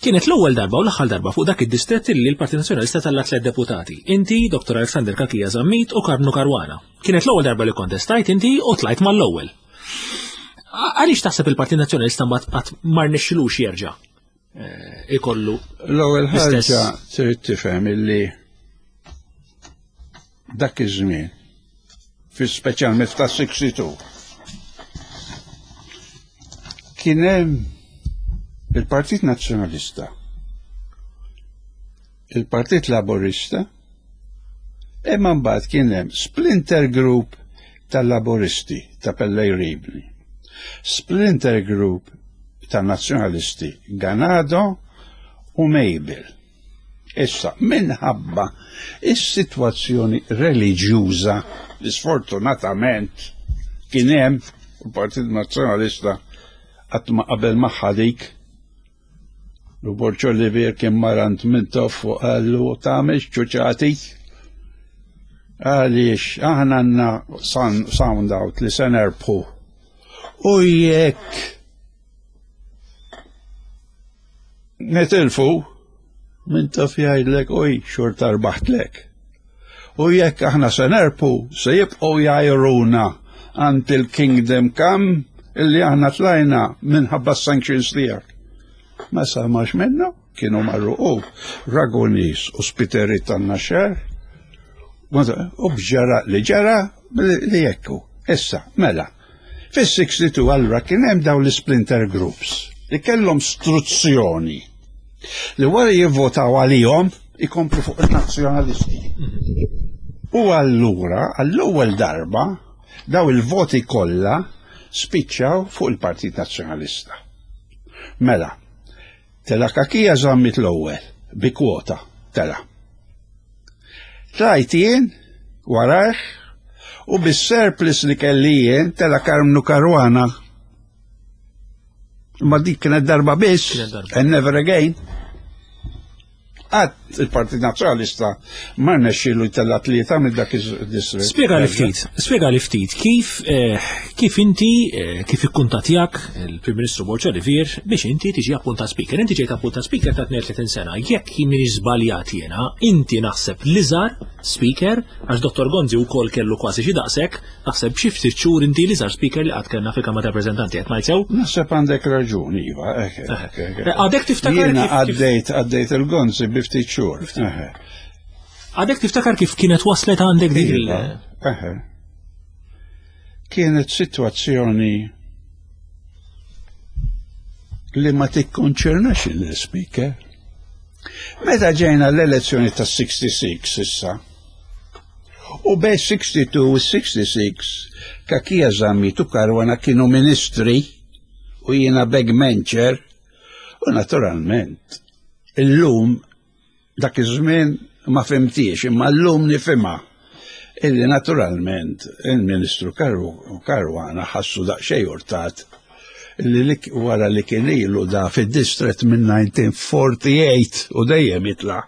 Kienet l-ewwel darba u l-aħħar darba fuq dak id-distrett li l-Partit Nazzjonalista tella' tliet deputati. Inti, Dr. Alexander Cachia Zammit u Karmnu Caruana. Kienet l-ewwel darba li kontestajt inti u tlajt mal-ewwel. Għaliex taħseb il-Partit Nazzjonalista mbagħad qatt ma rnexxilux jerġa' eh, ikollu L-ewwel ħaġa trid tifhem illi Dak iż-żmien, fi speċjalment ta' 62, kien hemm il-Partit Nazzjonalista, il-Partit Laburista, imma mbagħad kien hemm splinter group tal-Laburisti ta' Pellegrini, splinter group tan-Nazzjonalisti Ganado u Mabel. Issa, minħabba is-sitwazzjoni reliġjuża li sfortunatament kien hemm il-Partit Nazzjonalista qatt ma qabel magħha dik U Borg Olivier kien marant Mintoff u qallu tagħmilx ċuċati għaliex aħna għandna sound out li se nerbħu. U jekk nitilfu Mintoff jgħidlek uj xorta rbaħtlek. U jekk aħna se nerbħu se jibqgħu jgħajruna until kingdom come illi aħna tlajna minħabba sanctions tiegħek. Ma samax minnu, kienu marru u Ragonis u Spiteri tan-Naxxar u b'ġara li ġara li jekku. Issa, mela, fis-62 allura kien hemm dawn l-splinter groups li kellhom struzzjoni li wara jivvotaw għalihom ikomplu fuq il-nazzjonalisti. U allura, għall-ewwel darba, daw il-voti kollha spiċċaw fuq il-Partit Nazzjonalista. Mela, tela Kakija Zammit l-ewwel bi kwota tela. Tlajt jien warajh u bis-surplus li kelli jien tela Karmnu Caruana. Ma dik kienet darba biss, and never again. Qatt il-Partit Nazzjonalista ma rnexxielu jtella' tlieta minn dak id-distritt. Spjega li ftit, spjega li ftit kif eh, kif inti eh, kif ikkuntatjak il-Prim Ministru Borg Olivier biex inti tiġi appuntat speaker. Inti ġejt appuntat speaker ta' 32 sena. Jekk minix żbaljat jiena, inti naħseb l-iżgħar speaker għax Dottor Gonzi wkoll kellu kważi xi daqshekk Naħseb b'xi ftit xhur inti l-iżgħar speaker li qatt kellna fil-Kamra tar-Rappreżentanti qed ngħid sew? Naħseb għandek raġun, iva. Għadek tiftakar Jiena għaddejt għaddejt il-Gonzi bi ftit xhur. Għadek tiftakar kif kienet waslet għandek dik il- Iva, Kienet sitwazzjoni li ma tikkonċernax il-speaker. Meta ġejna l-elezzjoni tas-66 issa, U bejn 62 u 66 Kakija Zammit u Caruana kienu ministri u jiena backbencher u naturalment illum dak iż-żmien ma fimtiex imma llum nifhimha illi naturalment il-Ministru Caruana ħassu daqsxejn urtat li wara li kien ilu da fid-distret minn 1948 u dejjem jitla'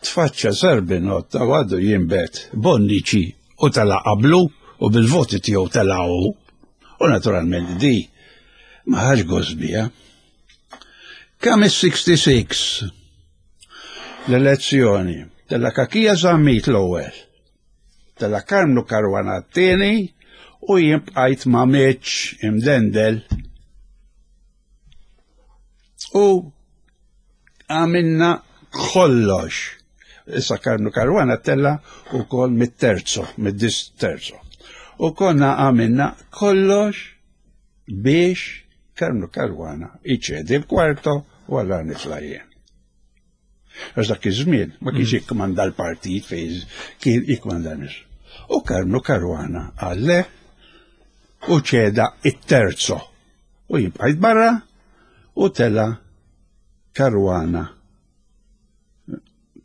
Tfaċċa Zerbinot u għadu jinbet Bonnici u tela' qablu u bil-voti tiegħu tela' hu. U naturalment di ma ħax gost biha. Kemm is-66 l-elezzjoni tella' Kakija Zammit l-ewwel, tella' Karmnu Caruana t-tieni u jien bqajt ma' Mitch imdendel. U għamilna kollox. Issa Karnu Caruana tella u kol mit-terzo, mid-dis terzo. U konna għamilna kollox biex Karnu Caruana iċedi l-kwarto u għalla nitla' jien. Għax dak iż-żmien ma kienx mm. jikkmanda l-partit fejn kien jikkmanda nies. U Karnu Caruana għalle u ċeda it-terzo u jien bqajt barra u tela Caruana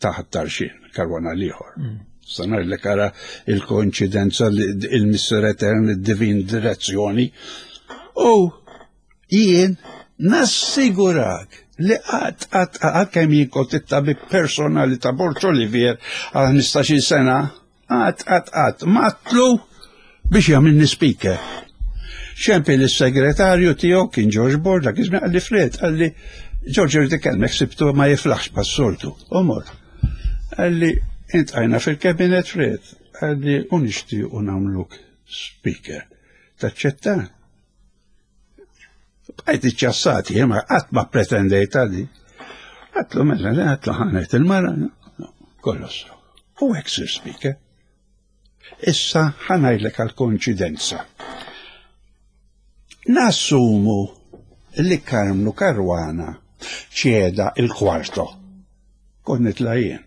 taħt tarxin, Caruana l-ieħor. Mm. Sanar li kara il-koinċidenza il-Misser Etern, il-Divin Direzzjoni. U jien nassigurak li għat għat għat kemm jien kont it-tabib personali ta' Borg Olivier għal 15 sena Qatt, qatt, qatt, matlu biex jagħmilni speaker. Xempi li s-segretarju tiegħu kien George Borg, dak iż-żmien qalli Fred, qalli George irid ikellmek sibtu ma jiflaħx pas-soltu. Omor. Qalli intqajna fil-kabinet Fred, qalli u nixtiequ nagħmluk speaker. Taċċetta? Bqajt iċċassat, jien ma qatt ma pretendejt għadi. Għatlu mela, għatlu ħanet il-mara, kollox. U hekk sir speaker. Issa ħa ngħidlek għal konċidenza. Nassumu li Karmnu Karwana ċeda il-kwarto. Kont nitla' jien.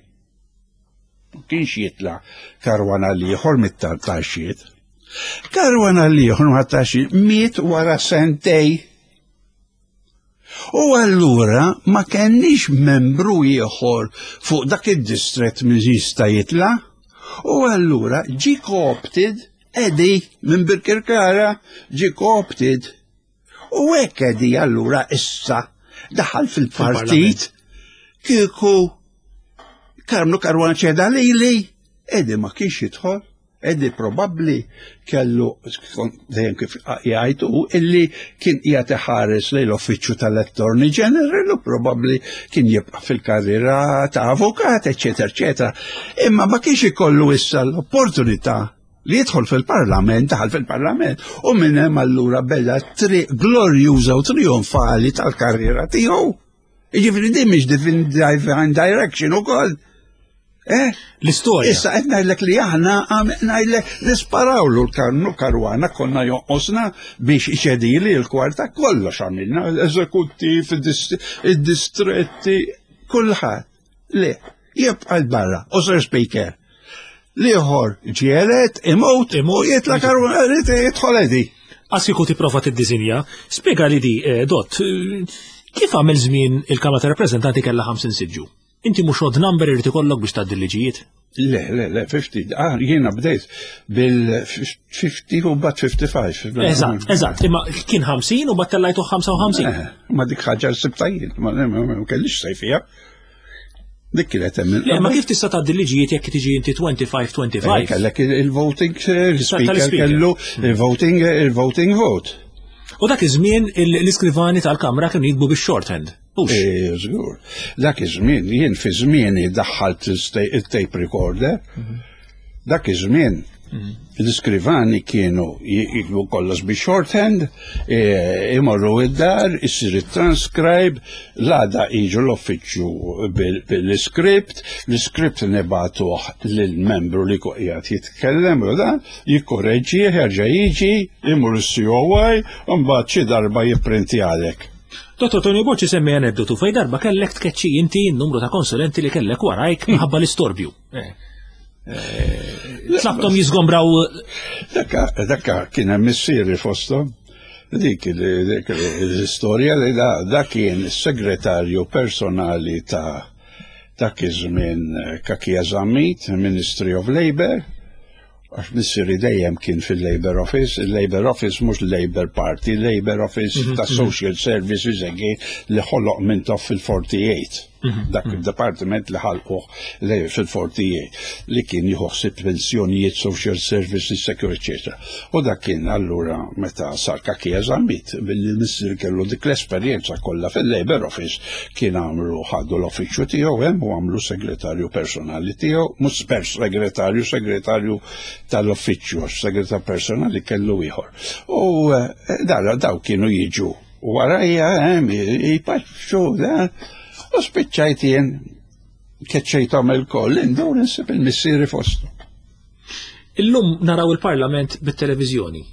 Ma kienx jitla' Karwana l-ieħor mit-tartaxiet. Karwana l-ieħor mit-tartaxiet miet wara sentej. U allura ma kenniex membru ieħor fuq dak id-distrett min jista' jitla'. U allura ġi co-opted Eddie minn Birkirkara ġi co-opted. U hekk Eddie allura issa daħal fil-partit kieku Karmnu Karwana ċeda lili, Eddie ma kienx jidħol. Eddie probabbli kellu dejjem kif jgħid hu illi kien qiegħed iħares lejn l-uffiċċju tal-Attorney General u probabbli kien jibqa' fil-karriera ta' avukat, eċetera, eċetera. Imma ma kienx ikollu issa l-opportunità li jidħol fil-parlament, daħal fil-parlament, u minn hemm allura bella triq glorjuża u trionfali tal-karriera tiegħu. Jiġifieri din mhix divine direction ukoll. Eh? L-istorja. Issa qed ngħidlek li aħna ngħidlek nisparawlu l-karnu karwana konna jonqosna biex iċedili l-kwarta kollox għamilna, eżekuttiv, id-distretti, kulħadd. Le, jibqa' l-barra, u Sir Speaker. Liħor ġielet, imut, imut, jitla karwana, jidħol edi. Għas kieku tipprova tiddisinja, spjega li di, eh, Dott, eh, kif għamel żmien il-Kamra ta' Rappreżentanti kellha 50 siġġu? Inti mhux odd number irid ikollok biex tgħaddi l-liġijiet? Le, le, le, 50, ah, jiena bdejt bil-50 u bat 55. Eżatt, eżatt, imma kien 50 u bat tellajtu 55. Eh, ma dik ħaġa sibtajjien, ma kellix sejfija. Dik kienet hemm. Le, ma kif tista' tgħaddi liġijiet jekk tiġi inti 25-25? Eh, kellek il-voting eh, il-speaker kellu il-voting il-voting vote. U dak iż-żmien l-iskrivani tal-Kamra kienu jikbu bix-shorthand. Eh, żgur. Dak iż-żmien jien fi żmieni daħħalt il-tape recorder. Mhm. Dak iż-żmien l-iskrivani kienu jiktbu kollox bi shorthand, e, imorru id-dar, isir it-transcribe, l-għada jiġu l-uffiċċju bil-iskript, l-iskript nibatuh lill-membru li qiegħed jitkellem u dan, jikkoreġġih, jerġa' jiġi, imur is-COI, u mbagħad xi darba jipprintjalek. Dottor Tony Bocci semmi aneddotu fej darba kellek tkeċċi inti n-numru ta' konsulenti li kellek warajk minħabba l-istorbju. Eh. Eh, tlabtom jizgombraw. Dakka, dakka kien hemm missieri fosthom. Dik l-istorja li da kien is-segretarju personali ta' dak iż-żmien eh, Kakija Zammit, Ministry of Labour, għax missieri dejjem kien fil-Labour Office, il-Labour Office mhux Labour Party, Labour Office mhm, ta' mhm. Social Services again li ħoloq Mintoff fil-48. Mhm, Dak il-departiment li ħalquh fil-48 li kien jieħu ħsieb pensjonijiet, social services, security, eccetera. U dak kien allura meta sar kakija Zammit billi missier kellu dik l-esperjenza kollha fil-Labour Office kien għamlu ħadu l-uffiċċju tiegħu hemm u għamlu segretarju personali tiegħu, mhux per segretarju, segretarju tal-uffiċċju, għax segretarju personali kellu ieħor. U eh, dara daw kienu jiġu warajja hemm jpaċċu u spiċċajt jien keċċejthom il-koll indur insib il-missieri fostu. Illum naraw il-Parlament bit-televiżjoni.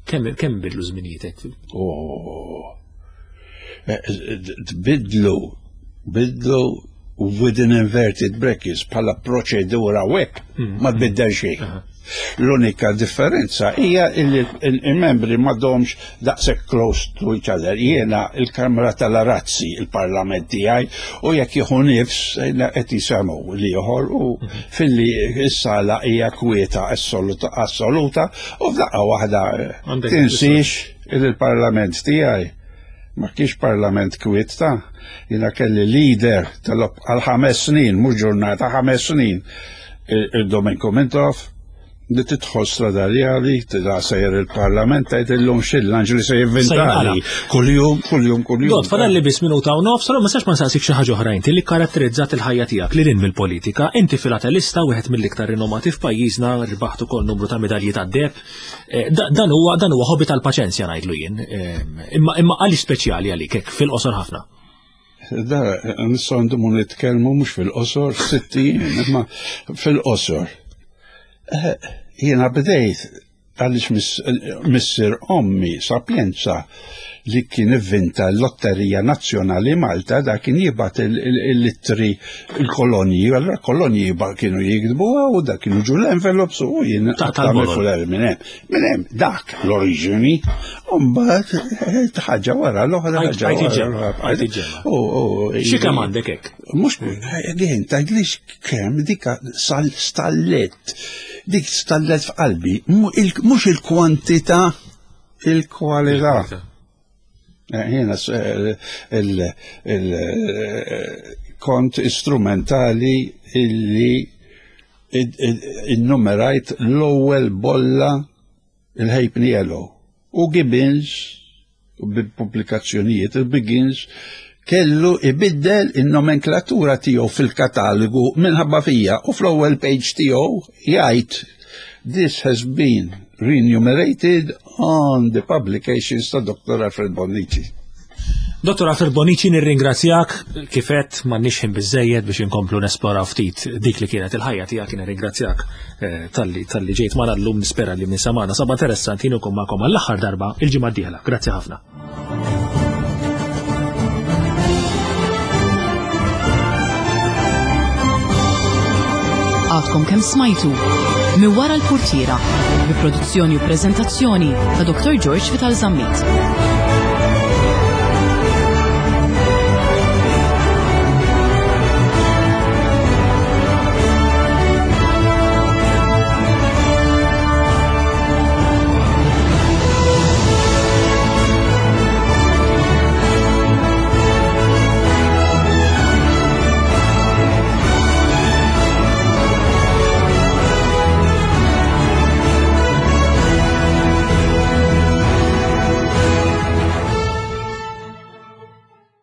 Kemm kemm bidlu żminietek? Oh. Eh, tbidlu, bidlu within inverted brackets bħala proċedura wek mm. ma tbiddel xejn. L-unika differenza hija li il-membri m'għadhomx daqshekk close to each other. Jiena il-Kamra tal-Arazzi, il-Parlament tiegħi, u jekk jieħu nifs qed jisemgħu l-ieħor u mhm. filli s-sala hija kwieta assoluta u f'daqqa waħda tinsiex il-Parlament tiegħi ma kienx parlament kwiet ta' jiena kelli leader tal għal ħames snin, mhux ġurnata, ħames snin, il-Domenko Mintoff, li tidħol strada reali, tida sejjer il-parlament, tgħid illum xil-lanġ li se jivvintali. Kuljum, kuljum, kuljum. Dot, fadal li biss minuta u nofs, ma sax ma nsaqsik xi ħaġa oħra inti li karatterizzat il-ħajja tiegħek li lin mill-politika, inti filatelista wieħed mill-iktar rinomati f'pajjiżna, rbaħt ukoll numru ta' medalji tad-deb. Eh, dan huwa dan huwa hobby tal-paċenzja ngħidlu jien. Eh, imma imma għaliex speċjali għalik hekk fil-qosor ħafna. Da, nistgħu ndumu nitkellmu mhux fil-qosor, sitti imma fil-qosor. Eh, Jiena bdejt għaliex missier ommi Sapienza li kien ivvinta l-Lotterija Nazzjonali Malta da kien jibgħat il-ittri il-kolonji, allura kolonji kienu jiktbu u da kienu ġu l-envelopes u jien tal-fuler minn hemm. Minn hemm dak l-oriġini, u mbagħad eh, ħaġa wara l-oħra ħaġa wara l-oħra. Xi kemm għandek hekk? Mhux għin tgħidlix kemm dik stallet, dik stallet f'qalbi, mhux il-kwantità, il-kwalità. Eh, jiena eh, eh, kont istrumentali illi innumerajt l-ewwel bolla il-Halfpenny Yellow u Gibbons u bil-pubblikazzjonijiet il-Biggins kellu ibiddel in-nomenklatura tiegħu fil-katalogu minħabba fija u fl-ewwel page tiegħu jgħid This has been renumerated on the publications ta' Dr. Alfred Bonnici. Dottor Alfred Bonnici nirringrazzjak kif għedt m'għandniex ħin biżejjed biex inkomplu nesploraw ftit dik li kienet il-ħajja tiegħek nirringrazzjak eh, talli talli ġejt magħna llum nispera li min samana saba interessanti jien ukoll magħkom għall-aħħar darba il-ġimgħa d-dieħla. Grazzi ħafna. Għadkom kemm smajtu minn wara l-purtiera bi produzzjoni u preżentazzjoni ta' Dr. George Vital Zammit.